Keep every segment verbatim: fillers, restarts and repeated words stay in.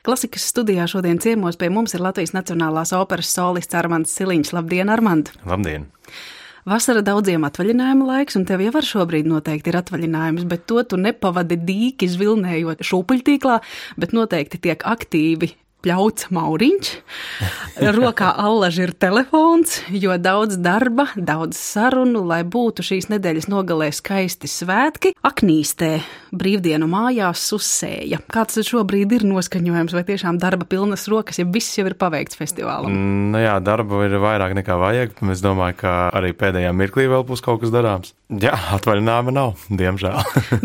Klasikas studijā šodien ciemos pie mums ir Latvijas Nacionālās operas solists Armands Siliņš. Labdien, Armand! Labdien! Vasara daudziem atvaļinājuma laiks, un tev jau ar šobrīd noteikti ir atvaļinājums, bet to tu nepavadi dīki zvilnējot šūpuļtīklā, bet noteikti tiek aktīvi pļauts mauriņš, rokā allaži ir telefons, jo daudz darba, daudz sarunu, lai būtu šīs nedēļas nogalē skaisti svētki. Aknīstē brīvdienu mājās susēja. Kāds šobrīd ir noskaņojums, vai tiešām darba pilnas rokas, ja viss jau ir paveikts festivālam? Nu jā, darba ir vairāk nekā vajag. Es domāju, ka arī pēdējā mirklī vēl būs kaut kas darāms. Jā, atvaļinājuma nav, diemžēl.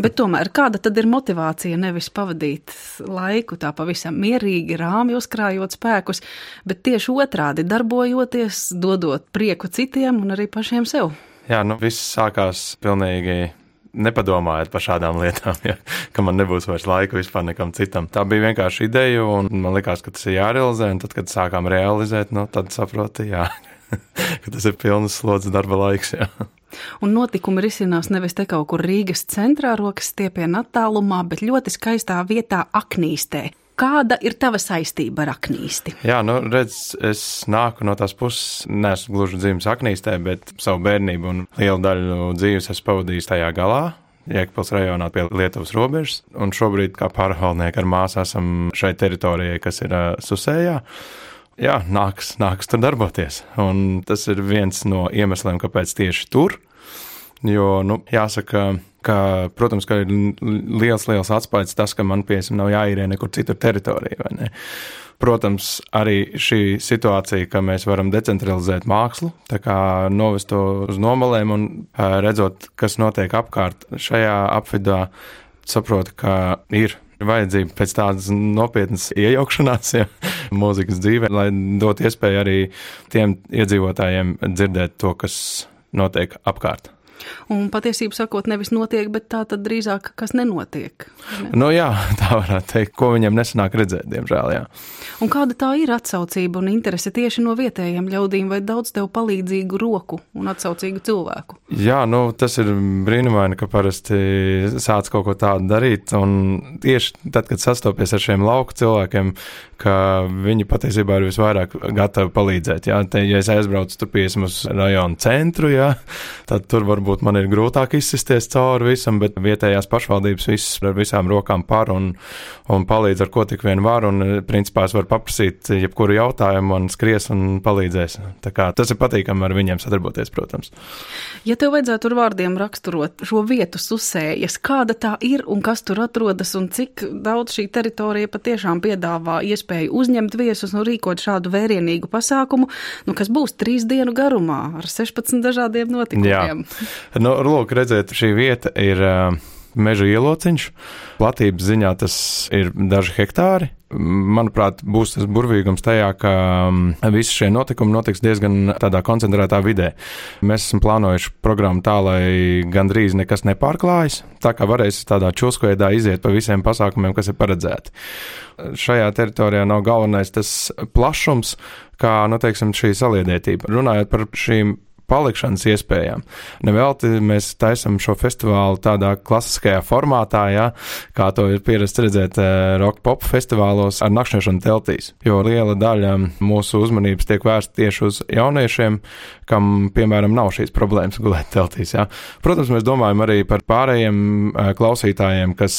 Bet tomēr, kāda tad ir motivācija nevis pavadīt laiku tā pavisam mierīgi, rāmi uzkrājot spēkus, bet tieši otrādi darbojoties, dodot prieku citiem un arī pašiem sev? Jā, nu viss sākās pilnīgi nepadomājot par šādām lietām, ja, ka man nebūs vairs laika vispār nekam citam. Tā bija vienkārši ideja, un man likās, ka tas ir jārealizē, un tad, kad sākām realizēt, nu, tad saproti, jā, ka tas ir pilnas slodzes darba laiks, jā. Un notikumi risinās nevis te kaut kur Rīgas centrā, rokas stiepiena attālumā, bet ļoti skaistā vietā Aknīstē. Kāda ir tava saistība ar Aknīsti? Jā, nu, redz, es nāku no tās puses, neesmu gluži dzimis Aknīstē, bet savu bērnību un lielu daļu dzīves esmu pavadījis tajā galā, Jēkabpils rajonā pie Lietuvas robežas, un šobrīd kā pārvaldnieki ar māsu esam šai teritorijai, kas ir uh, Susējā. Jā, nāks, nāks tur darboties, un tas ir viens no iemesliem, kāpēc tieši tur, jo, nu, jāsaka, ka, protams, ka ir liels, liels atspaids tas, ka man, piemēram, nav jāīrē nekur citur teritorija, vai ne? Protams, arī šī situācija, ka mēs varam decentralizēt mākslu, tā kā novest to uz nomalēm un redzot, kas notiek apkārt šajā apvidā, saprotu, ka ir vajadzība pēc tādas nopietnas iejaukšanās, ja, mūzikas dzīvē, lai dot iespēju arī tiem iedzīvotājiem dzirdēt to, kas notiek apkārt. Un patiesību sakot, nevis notiek, bet tā tad drīzāk, kas nenotiek. Ne? Nu jā, tā varētu teikt, ko viņiem nesanāk redzēt, diemžēl, jā. Un kāda tā ir atsaucība un interese tieši no vietējiem ļaudīm, vai daudz tev palīdzīgu roku un atsaucīgu cilvēku? Jā, nu tas ir brīnumaini, ka parasti sāc kaut ko tādu darīt, un tieši tad, kad sastopies ar šiem lauku cilvēkiem, ka viņi patiesībā ir visvairāk gatavi palīdzēt, jā. Te, ja es aizbraucu tur piesam uz rajonu centru, jā, tad tur varbūt man ir grūtāk izsisties cauri visam, bet vietējās pašvaldības viss ar visām rokām par un, un palīdz ar ko tik vien var, un principā es varu paprasīt jebkuru jautājumu, man skries un palīdzēs. Tā kā tas ir patīkami ar viņiem sadarboties, protams. Ja tev vajadzētu ar vārdiem raksturot šo vietu Susējas, kāda tā ir un kas tur atrodas un cik daudz šī teritorija patiešām piedāvā iespēju uzņemt viesus un rīkot šādu vērienīgu pasākumu, nu, kas būs trīs dienu garumā ar sešpadsmit dažādiem notikumiem? Jā. Nu, lūk, redzēt, šī vieta ir uh, meža ielociņš. Platības ziņā tas ir daži hektāri. Manuprāt, būs tas burvīgums tajā, ka um, visi šie notikumi notiks diezgan tādā koncentrētā vidē. Mēs esam plānojuši programmu tā, lai gandrīz nekas nepārklājas, tā kā varēs tādā čulskojēdā iziet pa visiem pasākumiem, kas ir paredzēti. Šajā teritorijā nav galvenais tas plašums, kā, nu, teiksim, šī saliedētība. Runājot par šīm palikšanas iespējām. Nevelti mēs taisam šo festivālu tādā klasiskajā formātā, ja, kā to ir pierasts redzēt rock pop festivālos ar nakšņošanu teltīs, jo liela daļa mūsu uzmanības tiek vērsta tieši uz jauniešiem, kam, piemēram, nav šīs problēmas gulēt teltīs. Ja. Protams, mēs domājam arī par pārējiem klausītājiem, kas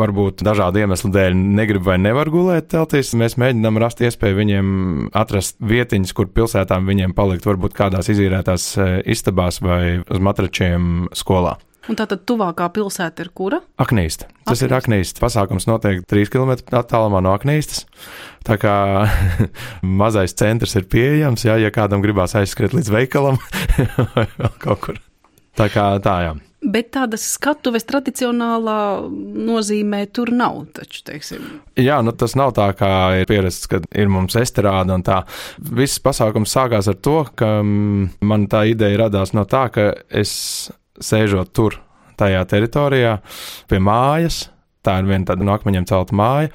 varbūt dažādu iemeslu dēļ negrib vai nevar gulēt teltīs. Mēs mēģinām rast iespēju viņiem atrast vietiņas, kur pilsētām viņiem palikt, varbūt kādās izīrētās istabās vai uz matračiem skolā. Un tātad tuvākā pilsēta ir kura? Aknīsta. Tas Aknīsta. ir Aknīsta. Pasākums notiek trīs kilometru attālumā no Aknīstas. Tā kā mazais centrs ir pieejams, jā, ja kādam gribās aizskriet līdz veikalam vai vēl kaut kur. Tā kā tā, jā. Bet tādas skatuves tradicionālā nozīmē tur nav, taču, teiksim. Jā, nu tas nav tā, kā ir pierasts, kad ir mums estrāda un tā. Viss pasākums sākās ar to, ka man tā ideja radās no tā, ka es sēžot tur, tajā teritorijā, pie mājas, tā ir viena tāda no akmeņiem celta māja,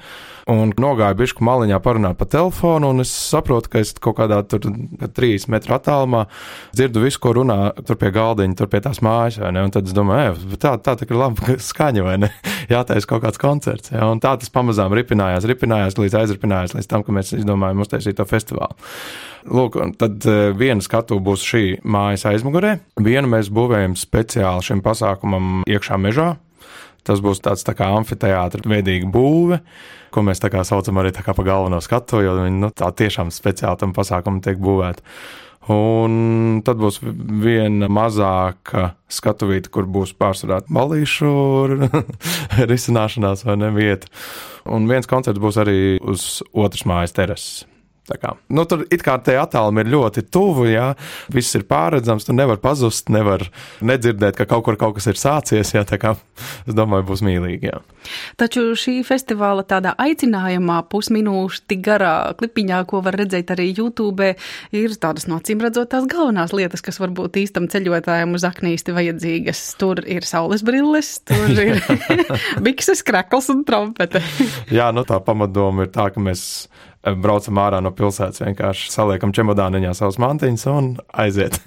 un nogāju bišku maliņā parunāt pa telefonu, un es saprotu, ka es kaut kādā tur trīs metru attālumā dzirdu visu, ko runā tur pie galdiņa, tur pie tās mājas, vai ne, un tad es domāju, tā, tā tā ir laba skaņa, vai ne, jātaisa kaut kāds koncerts. Ja? Un tā tas pamazām ripinājās, ripinājās, līdz aizripinājās, līdz tam, ka mēs izdomājam uztaisīt to festivālu. Lūk, un tad viena skatu būs šī mājas aizmugurē, vienu mēs būvējam speciāli šim pasākumam iekšā mežā. Tas būs tāds tā kā amfiteātra veidīga būve, ko mēs tā kā saucam arī tā kā pa galveno skatu, jo viņi nu, tā tiešām speciāli tam pasākumam tiek būvēta. Un tad būs viena mazāka skatuvīte, kur būs pārsvarā ballīšu risināšanās vai ne vieta. Un viens koncerts būs arī uz otras mājas terases. Tā kā, nu, tur it kā te attālumi ir ļoti tuvu, jā, viss ir pārredzams, tu nevar pazust, nevar nedzirdēt, ka kaut kur kaut kas ir sācies, jā, tā kā, es domāju, būs mīlīgi, jā. Taču šī festivāla tādā aicinājumā pusminūšu tik garā klipiņā, ko var redzēt arī YouTube, ir tādas no acīm redzot tās galvenās lietas, kas varbūt īstam ceļotājiem uz aknīsti vajadzīgas. Tur ir saules brilles, tur ir bikses, krekls un trompete. Jā, nu tā pamatdoma ir tā, ka mēs braucam ārā no pilsētas, vienkārši saliekam čemodāniņā savus mantiņus un aiziet.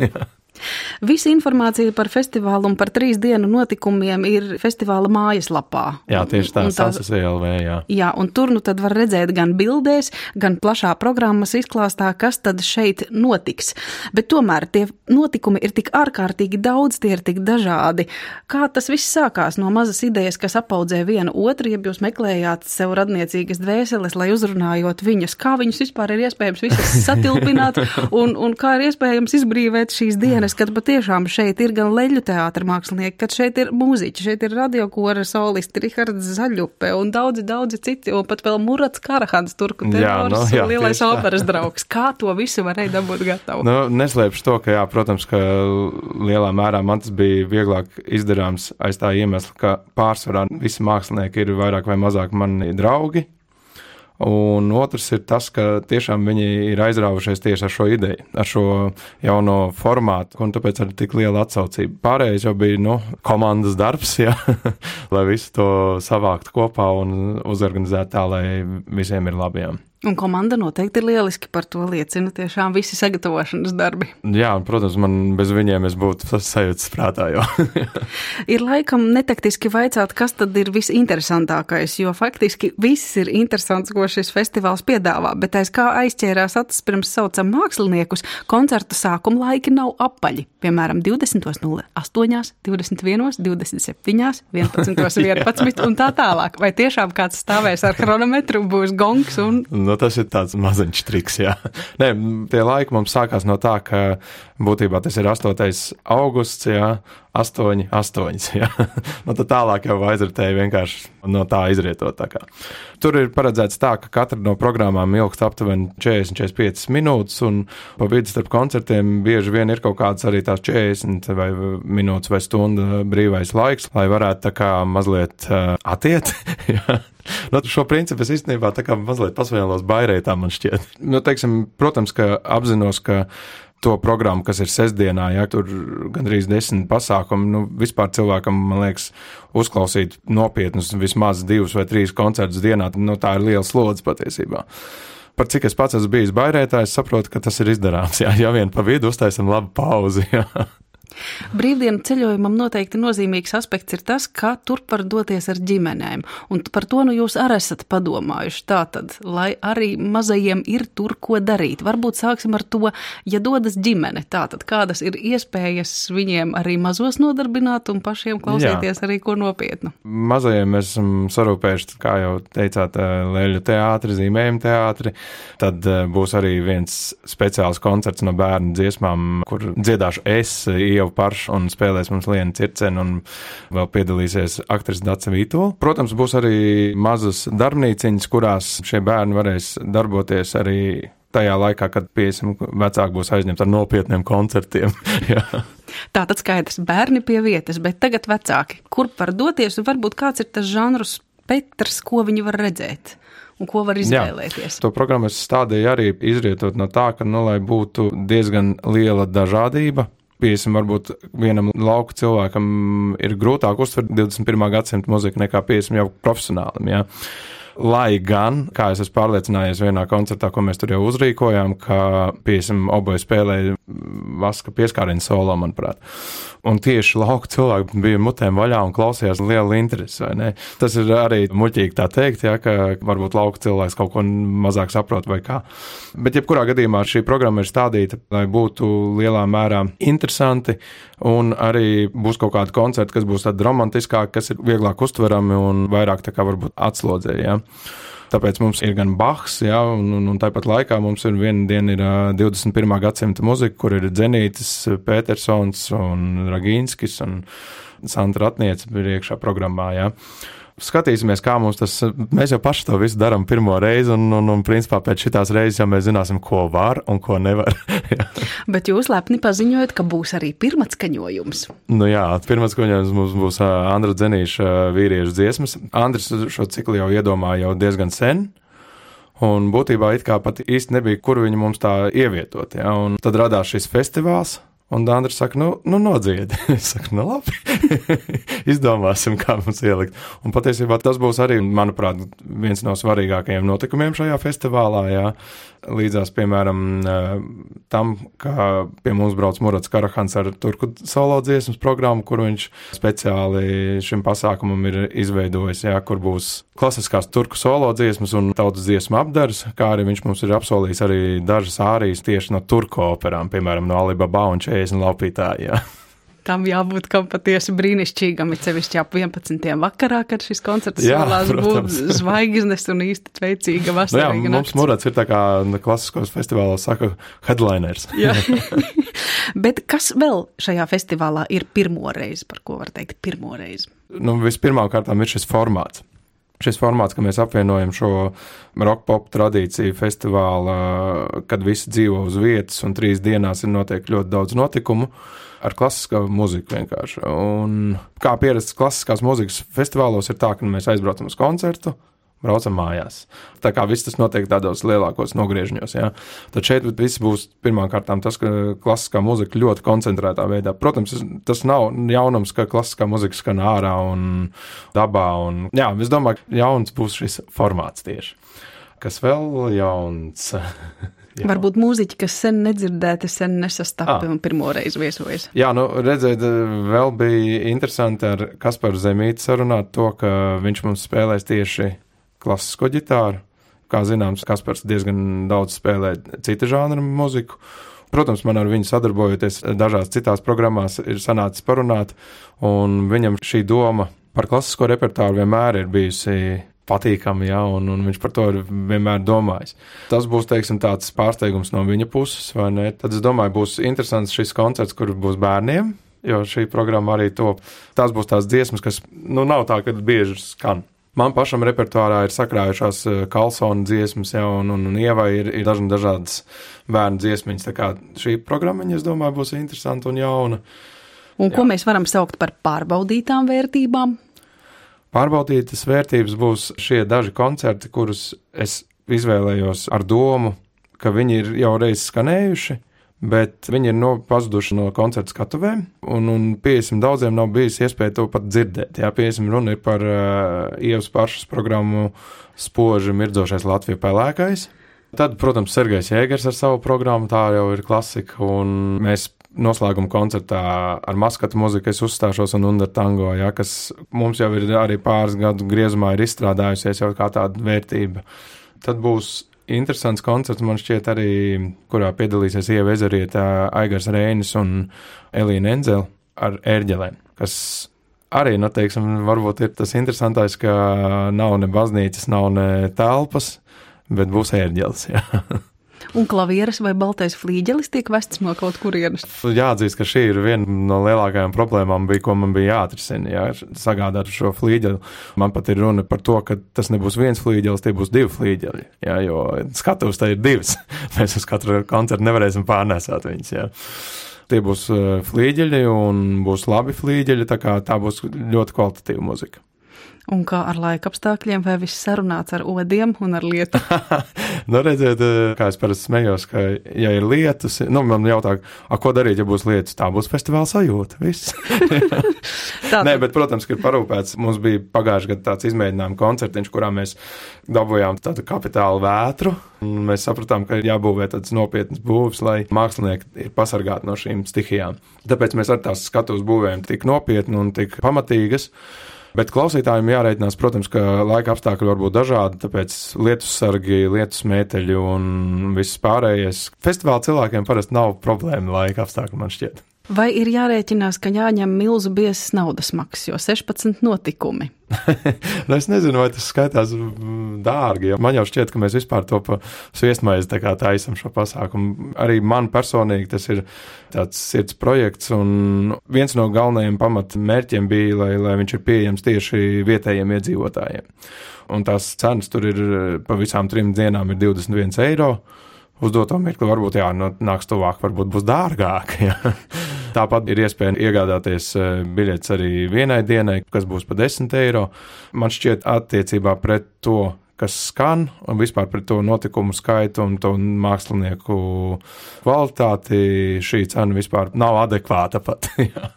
Visa informācija par festivālu un par trīs dienu notikumiem ir festivāla mājaslapā. Jā, tieši tā, Sansas V L V, jā. Jā, un tur nu tad var redzēt gan bildēs, gan plašā programmas izklāstā, kas tad šeit notiks. Bet tomēr tie notikumi ir tik ārkārtīgi daudz, tie ir tik dažādi. Kā tas viss sākās no mazas idejas, kas apaudzē vienu otru, ja jūs meklējāt sev radniecīgas dvēseles, lai uzrunājot viņus, kā viņus vispār ir iespējams visas satilpināt un, un kā ir iespējams izbrīvēt šīs dienas, kad patiešām šeit ir gan leļu teātra mākslinieki, kad šeit ir mūziķi, šeit ir radiokora solisti, Rihards Zaļupe un daudzi, daudzi citi, un pat vēl Murats Karahans, turku tenors, jā, no, jā, lielais operas draugs. Kā to visu varēja dabūt gatavu? Nu, neslēpšu to, ka jā, protams, ka lielā mērā man tas bija vieglāk izdarāms aiz tā iemesla, ka pārsvarā visi mākslinieki ir vairāk vai mazāk mani draugi. Un otrs ir tas, ka tiešām viņi ir aizrāvušies tieši ar šo ideju, ar šo jauno formātu, un tāpēc arī tik liela atsaucība. Pārējais jau bija, nu, komandas darbs, jā, lai visu to savākt kopā un uzorganizēt tā, lai visiem ir labi, jā. Un komanda noteikti ir lieliski, par to liecina tiešām visi sagatavošanas darbi. Jā, un, protams, man bez viņiem es būtu sajūtas prātā, jo. Ir laikam netaktiski vaicāt, kas tad ir visinteresantākais, jo faktiski viss ir interesants, ko šis festivāls piedāvā, bet aiz kā aizķērās acis pirms saucam māksliniekus, koncerta sākuma laiki nav apaļi. Piemēram, divdesmit nulle astoņi, divdesmit viens, divdesmit septiņi, vienpadsmit vienpadsmit un tā tālāk. Vai tiešām kāds stāvēs ar chronometru, būs gongs un... Nu, tas ir tāds maziņš triks, jā. Nē, tie laiki mums sākās no tā, ka būtībā tas ir astotais augusts, jā, astoņi, astoņas, jā. Nu, tad tālāk jau aizritēja vienkārši no tā izrietot tā kā. Tur ir paredzēts tā, ka katra no programmām ilgst aptuveni četrdesmit līdz četrdesmit piecas minūtes, un pa vidu starp koncertiem bieži vien ir kaut kāds arī tās četrdesmit vai minūtes vai stunda brīvais laiks, lai varētu tā kā mazliet uh, atiet, jā. Nu, šo principu es īstenībā tā kā mazliet pasvielos bairētā, man šķiet. Nu, teiksim, protams, ka apzinos, ka to programmu, kas ir sestdienā, ja tur gandrīz desmit pasākumi, nu, vispār cilvēkam, man liekas, uzklausīt nopietnus vismaz divus vai trīs koncertus dienā, nu, tā ir liela slodze patiesībā. Par cik es pats esmu bijis bairētājs, saprotu, ka tas ir izdarāms, jā, ja vien pa vidu uztaisam labu pauzi, jā. Brīvdienu ceļojumam noteikti nozīmīgs aspekts ir tas, kā turp var doties ar ģimenēm, un par to nu jūs arī esat padomājuši tātad, lai arī mazajiem ir tur, ko darīt. Varbūt sāksim ar to, ja dodas ģimene, tātad kādas ir iespējas viņiem arī mazos nodarbināt un pašiem klausīties Jā. Arī ko nopietnu. Mazajiem mēs esam sarūpējuši, kā jau teicāt, leļu teātri, zīmējumu teātri, tad būs arī viens speciāls koncerts no bērnu dziesmām, kur dziedāšu es, Ieva Parša un spēlēs mums Liena Circena un vēl piedalīsies aktris Dace Vītola. Protams, būs arī mazas darbnīciņas, kurās šie bērni varēs darboties arī tajā laikā, kad piesim vecāki būs aizņemti ar nopietniem koncertiem. Tātad skaidrs, bērni pie vietas, bet tagad vecāki. Kur var doties un varbūt kāds ir tas žanru spektrs, ko viņi var redzēt? Un ko var izvēlēties? Jā, to programmu es stādīju arī izrietot no tā, ka, nu, lai būtu diezgan liela dažādība. Piesim, varbūt vienam lauku cilvēkam ir grūtāk uztvert divdesmit pirmā gadsimta muziku nekā piesim jau profesionālim, jā. Lai gan, kā es esmu pārliecinājies vienā koncertā, ko mēs tur jau uzrīkojām, ka, piemēram, oboji spēlēja Vaska pieskārienu solo, manuprāt. Un tieši lauka cilvēki bija mutēm vaļā un klausījās liela interesi, vai ne? Tas ir arī muļķīgi tā teikt, ja, ka varbūt lauka cilvēks kaut ko mazāk saprot vai kā. Bet jebkurā gadījumā šī programma ir stādīta, lai būtu lielā mērā interesanti, un arī būs kaut kādi koncerti, kas būs tādi romantiskāki, kas ir vieglāk uztverami un vairāk tā kā varbūt atslodzīja. Ja. Tāpēc mums ir gan Bachs, ja, un, un, un tāpat laikā mums ir viena diena ir divdesmit pirmā gadsimta muzika, kur ir Dzenītis, Petersons un Ragīnskis un Sandra Ratniece ir iekšā programmā. Ja. Skatīsimies, kā mums tas, mēs jau paši to visu darām pirmo reizi, un, un, un principā pēc šitās reizes jau mēs zināsim, ko var un ko nevar. Bet jūs lepni paziņojat, ka būs arī pirmatskaņojums. Nu jā, pirmatskaņojums mums būs Andra Dzenīša vīriešu dziesmas. Andris šo ciklu jau iedomāja jau diezgan sen, un būtībā it kā pat īsti nebija, kur viņu mums tā ievietot. Ja? Un tad radās šis festivāls. Un Andris saka, nu, nu nodziedi. Es saku, nu labi, izdomāsim, kā mums ielikt. Un patiesībā tas būs arī, manuprāt, viens no svarīgākajiem notikumiem šajā festivālā, jā. Līdzās, piemēram, tam, ka pie mums brauc Murats Karahans ar turku solo dziesmas programmu, kur viņš speciāli šim pasākumam ir izveidojis, jā, kur būs klasiskās turku solo dziesmas un tautas dziesmu apdars, kā arī viņš mums ir apsolījis arī dažas ārijas tieši no turku operām, piemēram, no Alibaba un četrdesmit laupītāji, jā. Tam jābūt kam patiesi brīnišķīgam, it sevišķi ap vienpadsmitiem vakarā, kad šis koncerts solās būt zvaigznes un īsti tveicīga vasarīga nakts. Nu jā, mums Murats ir tā kā klasiskos festivālos saka headliners. Jā. Bet kas vēl šajā festivālā ir pirmoreiz, par ko var teikt pirmoreiz? Nu, vispirmām kārtām ir šis formāts. Šis formāts, ka mēs apvienojam šo rock-pop tradīciju festivāla, kad visi dzīvo uz vietas un trīs dienās ir notiek ļoti daudz notikumu, ar klasiskā muziku vienkārši. Un kā pierasts klasiskās muzikas festivālos ir tā, ka mēs aizbraucam uz koncertu, braucam mājās. Tā kā viss tas notiek tādos lielākos nogriežņos, jā. Tad šeit viss būs pirmām kārtām tas, ka klasiskā muzika ļoti koncentrētā veidā. Protams, tas nav jaunums, ka klasiskā muzika skan ārā un dabā. Un, jā, es domāju, ka jauns būs šis formāts tieši. Kas vēl jauns? Jā. Varbūt mūziķi, kas sen nedzirdēti, sen nesastapi ah. un pirmoreiz viesojas. Jā, nu, redzēt, vēl bija interesanti ar Kasparu Zemīti sarunāt to, ka viņš mums spēlēs tieši klasisko ģitāru. Kā zināms, Kaspars diezgan daudz spēlē cita žanra muziku. Protams, man ar viņu sadarbojoties dažās citās programmās ir sanācis parunāt, un viņam šī doma par klasisko repertāru vienmēr ir bijusi patīkami, jā, un, un viņš par to ir vienmēr domājis. Tas būs, teiksim, tāds pārsteigums no viņa puses, vai ne? Tad es domāju, būs interesants šis koncerts, kur būs bērniem, jo šī programma arī to, tās būs tās dziesmas, kas, nu, nav tā, kad bieži skan. Man pašam repertuārā ir sakrājušās Karlsona dziesmas, jā, un, un, un Ievai ir, ir dažna dažādas bērnu dziesmiņas, tā kā šī programma, es domāju, būs interesanta un jauna. Un ko jā. Mēs varam saukt par pārbaudītām vērtībām? Pārbaudītas vērtības būs šie daži koncerti, kurus es izvēlējos ar domu, ka viņi ir jau reiz skanējuši, bet viņi ir no, pazuduši no koncertu skatuvēm, un, un piesim daudziem nav bijis iespēja to pat dzirdēt. Jā, piesim runa ir par uh, Ievas pašas programmu Spoži mirdzošais Latvija pelēkais. Tad, protams, Sergejs Jēgers ar savu programmu, tā jau ir klasika, un mēs noslēguma koncertā ar maskatu muziku es uzstāšos un Under Tango, ja, kas mums jau ir arī pāris gadu griezumā ir izstrādājusies jau kā tāda vērtība. Tad būs interesants koncerts, man šķiet arī, kurā piedalīsies Ieva Ezerieta, Aigars Reinis un Elīna Enzele ar ērģelēm, kas arī, nu, teiksim, varbūt ir tas interesantais, ka nav ne baznīcas, nav ne telpas, bet būs ērģeles, jā. Un klavieres vai baltais flīģelis tiek vests no kaut kurienes? Jāatzīst, ka šī ir viena no lielākajām problēmām, bija, ko man bija jāatrisina, jā, sagādāt šo flīģeli. Man pat ir runa par to, ka tas nebūs viens flīģelis, tie būs divi flīģeļi, jā, jo skatuvs tā ir divas. Mēs uz katru koncertu nevarēsim pārnēsāt viņus, jā. Tie būs flīģeļi un būs labi flīģeļi, tā kā tā būs ļoti kvalitatīva muzika. Un kā ar laika apstākļiem, vai viss sarunāts ar odiem un ar lietu? Nu, redziet, kā es parasti smējos, ka, ja ir lietus, nu, man jautā, a, ko darīt, ja būs lietus, tā būs festivāla sajūta, viss. Nē, bet, protams, ka ir parūpēts. Mums bija pagājuši gadu tāds izmēģinājuma koncertiņš, kurā mēs dabūjām tādu kapitālu vētru. Mēs sapratām, ka ir jābūvē tāds nopietnas būvs, lai mākslinieki ir pasargāti no šīm stihijām. Tāpēc mēs ar tās skatuves būvējam tik nopietni un tik pamatīgas. Bet klausītājiem jārēķinās, protams, ka laika apstākļi var būt dažādi, tāpēc lietussargi, lietusmēteļi un viss pārējais. Festivāla cilvēkiem parasti nav problēma laika apstākļi, man šķiet. Vai ir jārēķinās, ka jāņem milzu biezas naudas maksas, jo sešpadsmit notikumi? Nu, es nezinu, vai tas skaitās dārgi. Man jau šķiet, ka mēs vispār to pa sviestmaizi tā kā taisam šo pasākumu. Arī man personīgi tas ir tāds sirds projekts, un viens no galvenajiem pamatmērķiem bija, lai, lai viņš ir pieejams tieši vietējiem iedzīvotājiem. Un tās cenas tur ir pa visām trim dienām ir divdesmit viens eiro. Uz doto mirkli varbūt, jā, nu, nāks tuvāk, varbūt būs dārgāk, jā. Tāpat ir iespēja iegādāties biļetes arī vienai dienai, kas būs pa desmit eiro. Man šķiet attiecībā pret to, kas skan, un vispār pret to notikumu skaitu un to mākslinieku kvalitāti, šī cena vispār nav adekvāta pat, jā.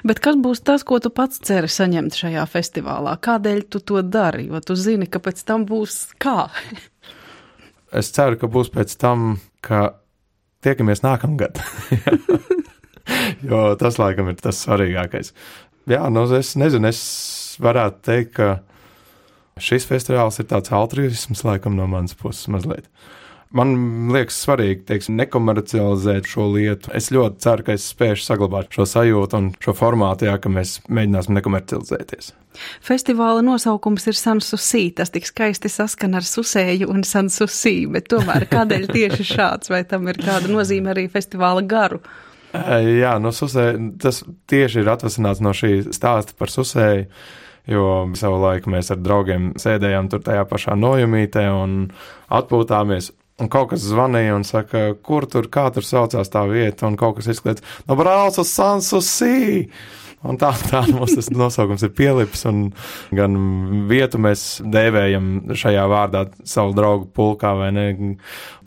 Bet kas būs tas, ko tu pats ceri saņemt šajā festivālā? Kādēļ tu to dari? Jo tu zini, ka pēc tam būs kā? Es ceru, ka būs pēc tam, ka tiekamies nākamgad. Jo tas, laikam, ir tas svarīgākais. Jā, nu, es nezinu, es varētu teikt, ka šis festivāls ir tāds altruisms, laikam, no manas puses mazliet. Man liekas svarīgi, teiksim, nekomercializēt šo lietu. Es ļoti ceru, ka es spēšu saglabāt šo sajūtu un šo formātu, jā, ka mēs mēģināsim nekomercializēties. Festivāla nosaukums ir Sanssouci, tas tik skaisti saskan ar susēju un Sanssouci, bet tomēr kādēļ tieši šāds, vai tam ir kāda nozīme arī festivāla garu? Jā, no susēju, tas tieši ir atvasināts no šī stāsta par susēju, jo savu laiku mēs ar draugiem sēdējām tur tajā pašā nojumītē un atpūtāmies. Un kaut kas zvanīja un saka, kur tur, kā tur saucās tā vieta, un kaut kas izkliedz, no brauc uz Sanssouci! Un tā, tā mums tas nosaukums ir pielips, un gan vietu mēs dēvējam šajā vārdā savu draugu pulkā, vai ne?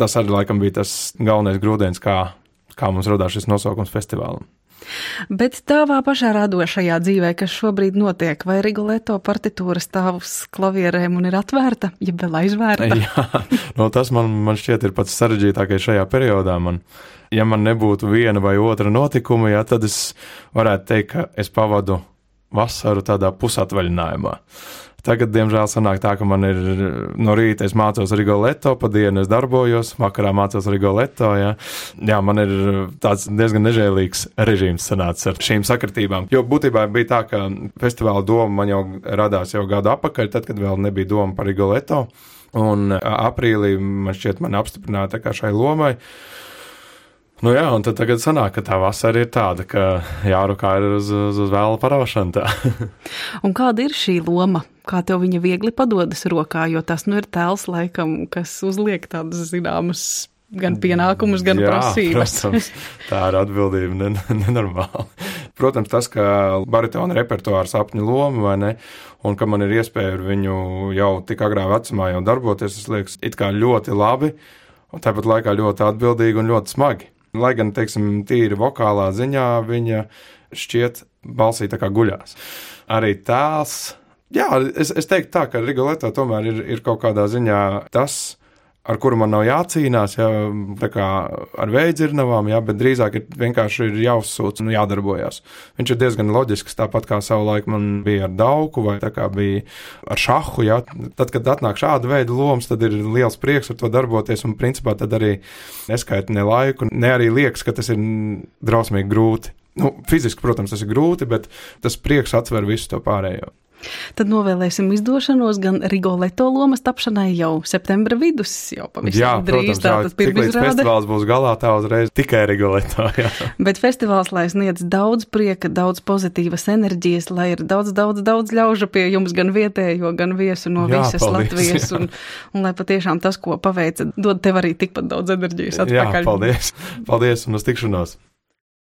Tas arī laikam bija tas galvenais grūdienis, kā, kā mums radās šis nosaukums festivālam. Bet tavā pašā radošajā dzīvē, kas šobrīd notiek, vai Rigoletto partitūra stāv uz klavierēm un ir atvērta, ja vēl aizvērta? Jā, no tas man, man šķiet ir pats sarežģītākais šajā periodā. Man, ja man nebūtu viena vai otra notikuma, jā, tad es varētu teikt, ka es pavadu vasaru tādā pusatvaļinājumā. Tagad, diemžēl, sanāk tā, ka man ir no rīta es mācos Rigoletto, pa dienu es darbojos, vakarā mācos Rigoletto, jā. Jā, man ir tāds diezgan nežēlīgs režīms sanācis ar šīm sakritībām. Jo būtībā bija tā, ka festivāla doma man jau radās jau gadu apakaļ, tad, kad vēl nebija doma par Rigoletto, un aprīlī man šķiet mani apstiprināja tā kā šai lomai. Nu jā, un tad tagad sanāk, ka tā vasara ir tāda, ka jārukā ir uz, uz, uz vēla paraušana tā. Un kāda ir šī loma? Kā tev viņa viegli padodas rokā, jo tas nu ir tēls laikam, kas uzliek tādas zināmas gan pienākumus, gan jā, prasības. Protams, tā ir atbildība nenormāla. Protams, tas, ka baritona repertuāra sapņu loma, vai ne, un ka man ir iespēja ar viņu jau tik agrā vecumā jau darboties, tas liekas it kā ļoti labi, un tāpat laikā ļoti atbildīgi un ļoti smagi. Lai gan, teiksim, tīri vokālā ziņā viņa šķiet balsī tā kā guļās. Arī tēls, jā, es, es teiktu tā, ka Rigoletto tomēr ir, ir kaut kādā ziņā tas, ar kuru man nav jācīnās, jā, tā kā ar veidzirnavām, jā, bet drīzāk ir vienkārši ir jāuzsūc un jādarbojās. Viņš ir diezgan loģisks, tāpat kā savu laiku man bija ar dauku vai tā kā bija ar šahu, jā. Tad, kad atnāk šāda veida lomas, tad ir liels prieks ar to darboties un principā tad arī neskaita ne laiku, ne arī liekas, ka tas ir drausmīgi grūti. Nu, fiziski, protams, tas ir grūti, bet tas prieks atver visu to pārējo. Tad novēlēsim izdošanos gan Rigoletto lomas tapšanai jau septembra vidus, jau pavisam drīz. Tātad pirmizrāde. Festivāls būs galā, tā uzreiz tikai Rigoletto, jā. Bet festivāls, lai sniedz daudz prieka, daudz pozitīvas enerģijas, lai ir daudz, daudz, daudz ļauža pie jums, gan vietējo, gan viesu no jā, visas paldies, Latvijas, un, un lai patiešām tas, ko paveica, dod tev arī tikpat daudz enerģijas atpakaļ. Jā, paldies, paldies un uz tikšanos.